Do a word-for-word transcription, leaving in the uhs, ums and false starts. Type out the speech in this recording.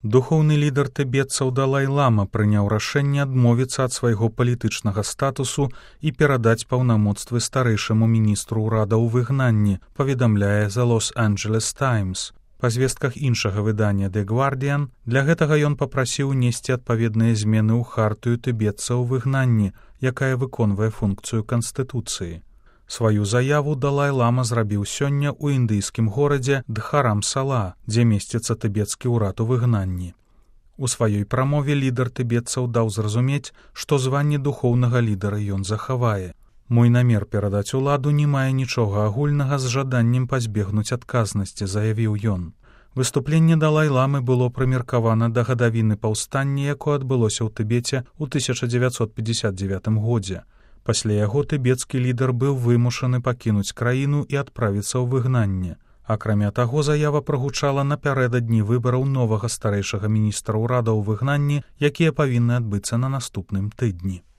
Духоўны лідар тыбетцаў Далай-лама прыняў рашэнне адмовіцца ад свайго палітычнага статусу і перадаць паўнамоцтвы старэйшаму міністру ўрада ў выгнанні, паведамляе The Los Angeles Times. Па звестках іншага выдання The Guardian, для гэтага ён папрасіў унесці адпаведныя змены ў хартыю тыбетцаў у выгнанні, якая выконвае функцыю канстытуцыі. Сваю заяву Далай-лама зрабіў сёння ў індыйскім горадзе Дхарам-сала, дзе месціцца тыбецкі ўрад у выгнанні. У сваёй прамове лідар тыбетцаў даў зразумець, што званне духоўнага лідара ён захавае. «Мой намер перадаць уладу не мае нічога агульнага з жаданнем пазбегнуць адказнасці», заявіў ён. Выступленне Далай-ламы было прымеркавана да гадавіны паўстання, якое адбылося ў Тыбеце ў тысяча дзевяцьсот пятьдесят девятым годзе. Пасля яго тыбецкі лідар быў вымушаны пакінуць краіну і адправіцца ў выгнанне. Акрамя таго, заява прагучала напярэдадні выбараў новага старэйшага міністра ўрада ў выгнанні, якія павінны адбыцца на наступным тыдні.